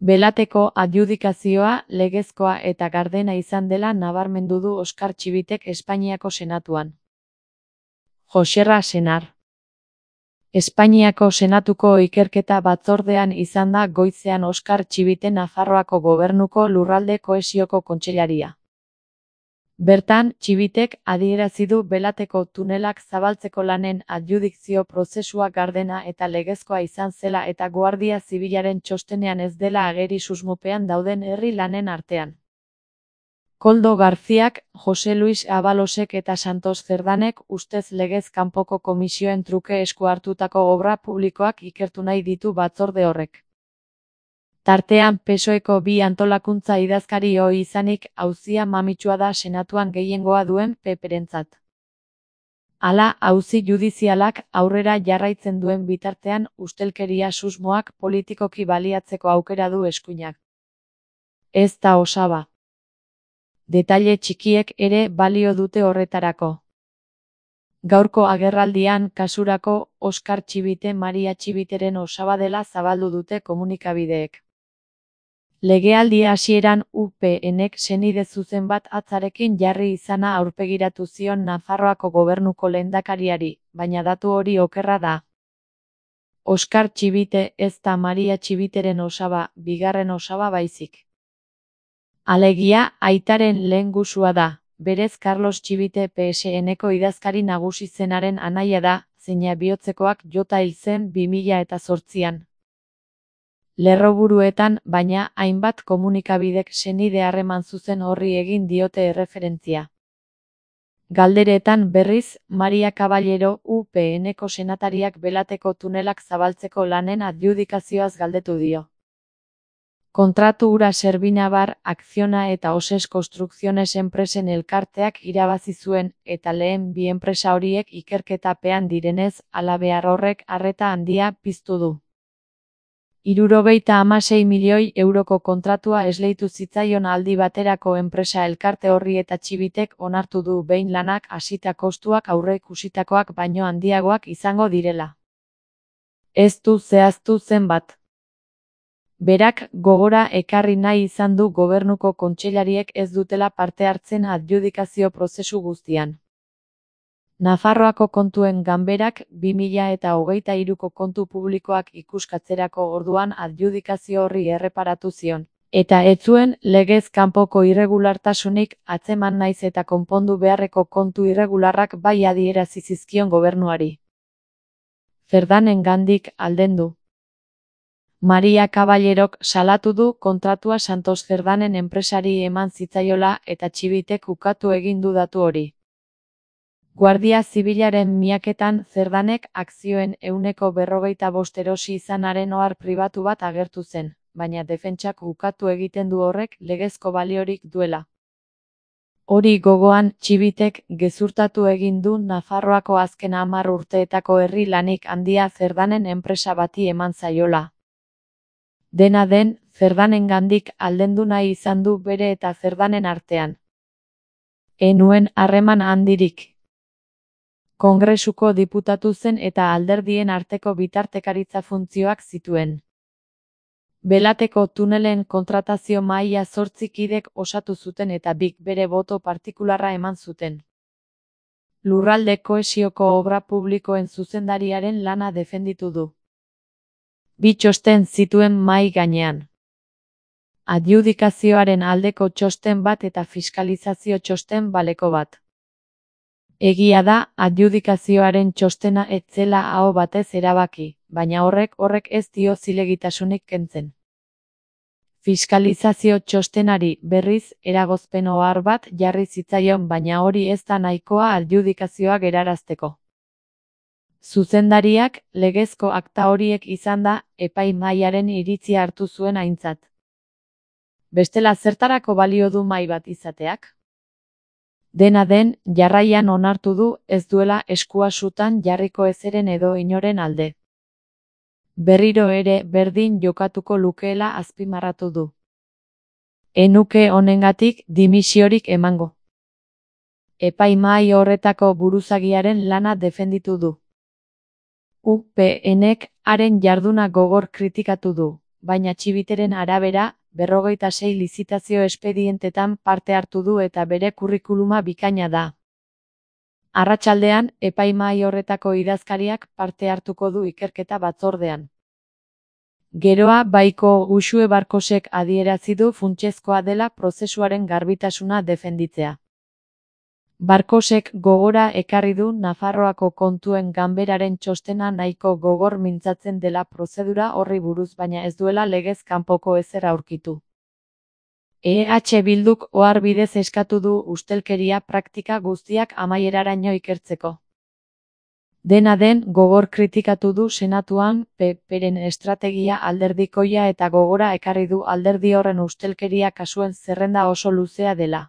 Belateko adjudikazioa legezkoa eta gardena izan dela nabarmendu du Oskar Txibitek Espainiako Senatuan. Joxerra Senar. Espainiako Senatuko ikerketa batzordean izan da goizean Oskar Txibite Nafarroako Gobernuko Lurralde Kohesioko Kontseilaria. Bertan, Txibitek adierazi du Belateko tunelak zabaltzeko lanen adjudikzio prozesua gardena eta legezkoa izan zela eta Guardia Zibilaren txostenean ez dela ageri susmopean dauden herri lanen artean. Koldo Garziak, Jose Luis Abalosek eta Santos Cerdanek ustez legez kanpoko komisioen truke esku hartutako obra publikoak ikertu nahi ditu batzorde horrek. Tartean PSOEko bi antolakuntza idazkari ohi izanik auzia mamitsua da Senatuan gehiengoa duen PPrentzat. Hala, auzi judizialak aurrera jarraitzen duen bitartean ustelkeria susmoak politikoki baliatzeko aukera du eskuinak. Ez da osaba. Detaile txikiek ere balio dute horretarako. Gaurko agerraldian kasurako Oskar Txibite Maria Txibiteren osaba dela zabaldu dute komunikabideek. Legealdi hasieran UPNek senide zuzen bat atzarekin jarri izana aurpegiratu zion Nafarroako Gobernuko lehendakariari, baina datu hori okerra da. Oskar Txibite ez da Maria Txibiteren osaba, bigarren osaba baizik. Alegia, aitaren lehengusua da, berez Carlos Txibite PSNeko idazkari nagusi zenaren anaia da, zeina bihotzekoak jota hil zen 2008an. Lerroburuetan, baina, hainbat komunikabidek senide harreman zuzen horri egin diote erreferentzia. Galderetan berriz, Maria Caballero UPNeko senatariak Belateko tunelak zabaltzeko lanen adjudikazioaz galdetu dio. Kontratu hura Servinabar, Acciona eta Oses Construcciones enpresen elkarteak irabazi zuen, eta lehen bi enpresa horiek ikerketapean direnez, halabehar horrek arreta handia piztu du. 76 milioi euroko kontratua esleitu zitzaion aldi baterako enpresa elkarte horri eta Txibitek onartu du behin lanak hasita kostuak aurreikusitakoak baino handiagoak izango direla. Ez du zehaztu zenbat. Berak gogora ekarri nahi izan du Gobernuko kontseilariek ez dutela parte hartzen adjudikazio prozesu guztian. Nafarroako kontuen ganberak 2023ko kontu publikoak ikuskatzerako orduan adjudikazio horri erreparatu zion, eta ez zuen legez kanpoko irregulartasunik atzeman naiz eta konpondu beharreko kontu irregularrak bai adierazi zizkion gobernuari. Cerdanengandik aldendu. Maria Caballerok salatu du kontratua Santos Cerdanen enpresari eman zitzaiola eta Txibitek ukatu egin du datu hori. Guardia Zibilaren miaketan Cerdanek akzioen 45% erosi izanaren ohar pribatu bat agertu zen, baina defentsak ukatu egiten du horrek legezko baliorik duela. Hori gogoan, Txibitek gezurtatu egin du Nafarroako azken 10 urteetako herri lanik handia Cerdanen enpresa bati eman zaiola. Dena den, Cerdanengandik aldendu nahi izan du bere eta Cerdanen artean. Enuen harreman handirik. Kongresuko diputatu zen eta alderdien arteko bitartekaritza funtzioak zituen. Belateko tunelen kontratazio mahaia 8 kidek osatu zuten eta bik bere boto partikularra eman zuten. Lurralde kohesioko obra publikoen zuzendariaren lana defenditu du. 2 txosten zituen mahai gainean. Adjudikazioaren aldeko txosten bat eta fiskalizazio txosten baleko bat. Egia da, adjudikazioaren txostena ez zela aho batez erabaki, baina horrek ez dio zilegitasunik kentzen. Fiskalizazio txostenari, berriz, eragozpen ohar bat jarri zitzaion baina hori ez da nahikoa adjudikazioa gerarazteko. Zuzendariak, legezko akta horiek izan da, epaimahaiaren iritzia hartu zuen aintzat. Bestela zertarako balio du mahai bat izateak? Dena den, jarraian onartu du ez duela eskua sutan jarriko ezeren edo inoren alde. Berriro ere berdin jokatuko lukeela azpimarratu du. Enuke honengatik dimisiorik emango. Epaimahai horretako buruzagiaren lana defenditu du. UPNek haren jarduna gogor kritikatu du, baina Txibiteren arabera, 56 lizitazio espedientetan parte hartu du eta bere kurrikuluma bikaina da. Arratsaldean, epaimahai horretako idazkariak parte hartuko du ikerketa batzordean. Geroa Baiko Uxue Barkosek adierazi du funtsezkoa dela prozesuaren garbitasuna defenditzea. Barkosek gogora ekarri du Nafarroako Kontuen Ganberaren txostena nahiko gogor mintzatzen dela prozedura horri buruz baina ez duela legez kanpoko ezer aurkitu. EH Bilduk ohar bidez eskatu du ustelkeria praktika guztiak amaieraraino ikertzeko. Dena den, gogor kritikatu du Senatuan PP-ren estrategia alderdikoia eta gogora ekarri du alderdi horren ustelkeria kasuen zerrenda oso luzea dela.